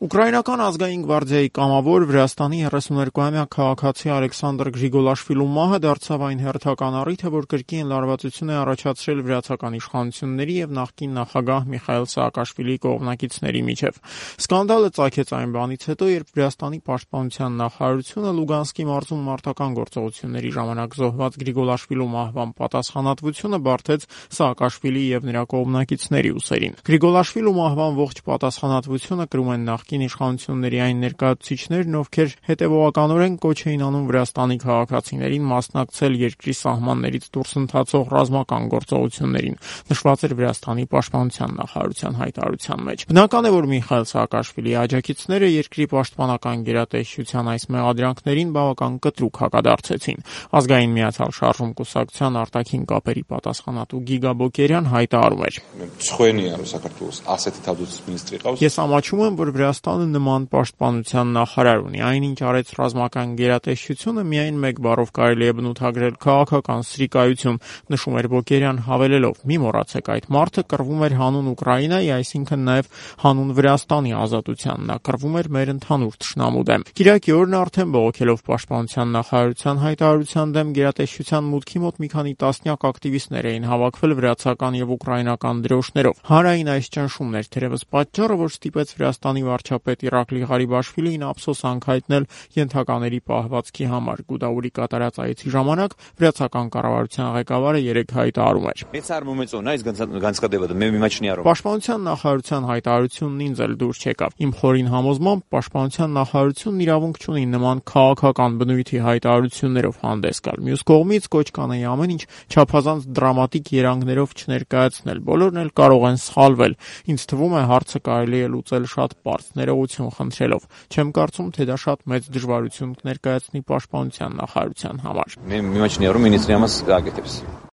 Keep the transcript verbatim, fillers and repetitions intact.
Ուկրաինական ազգային գվարդիայի կամավոր Վրաստանի երեսուներկուամյա քաղաքացի Ալեքսանդր Գրիգոլաշվիլու մահը դարձավ այն հերթական առիթը, որ կրկին լարվածություն է առաջացրել վրացական իշխանությունների եւ նախկին նախագահ Միխայիլ Սաակաշվիլիի կողմնակիցների միջև։ Սկանդալը ծագեց այն բանից հետո, երբ Վրաստանի պաշտպանության նախարարությունը Լուգանսկի մարզում մարտական գործողությունների ժամանակ զոհված Գրիգոլաշվիլու մահվան պատասխանատվությունը բարթեց Սաակաշվիլիի եւ նրա կողմնակիցների ուսերին։ Գրիգոլաշվիլու մահվան ողջ պատասխանատվությունը կրում են նախկին իշխանությունների այն ներկայացուցիչներն, ովքեր հետևողականորեն կոչ էին անում Վրաստանի քաղաքացիներին մասնակցել երկրի սահմաններից դուրս ընթացող ռազմական գործողություններին, նշված էր Վրաստանի պաշտպանության նախարարության հայտարարության մեջ։ Բնական է, որ Միխայիլ Սաակաշվիլիի աջակիցները երկրի պաշտպանական գերատեսչության այս մեղադրանքներին բավական կտրուկ հակադարձեցին։ Ազգային միացյալ շարժում կուսակցության արտաքին կապերի պատասխանատու Գիգա Բոկերյան հայտարարում էր. Ես ամաչում եմ, որ Վրաստանը նման պաշտպանության նախարար ունի, այնինչ արեց ռազմական գերատեսչությունը միայն մեկ բառով կարելի է բնութագրել քաղաքական սրիկայություն, նշում էր Բոկերյան հավելելով. մի մոռացեք, այդ մարդը կռվում էր հանուն Ուկրաինայի, այսինքն նաև հանուն Վրաստանի ազատության, նա կռվում էր մեր ընդհանուր թշնամու դեմ։ Կիրակի օրն արդեն բողոքելով պաշտպանության նախարարության հայտարարության դեմ գերատեսչության մուտքի մոտ մի քանի տասնյակ ակտիվիստներ էին հավաքվել վրացական եւ ուկրաինական դրոշներով։ Հանրային այս ճնշումներ թերևս պատճառը, որ ստիպեց Վրաստանի վարչապետ Իրակլի Ղարիբաշվիլիին ափսոսանք հայտնել ենթակաների պահվածքի համար։ Գուդաուրի կատարած այցի ժամանակ վրացական կառավարության ղեկավարը երեկ հայտարարում էր. Պաշտպանության նախարարության հայտարարությունն ինձ էլ դուր չեկավ։ Իմ խորին համոզմամբ պաշտպանության նախարարությունն իրավունք չունի նման քաղաքական բնույթի հայտարարություններով հանդես գալ։ Մյուս կողմից կոչ կանեի ամեն ինչ չափազանց դրամատիկ երանգներով չներկայացնել։ Բոլորն էլ կարող են սխալվել։ Ինձ թվում է հարցը կարելի է լուծել շատ պարզ, ներողություն խնդրելով։ Չեմ կարծում, թե դա շատ մեծ դժվարություն կներկայացնի պաշտպանության նախարարության համար։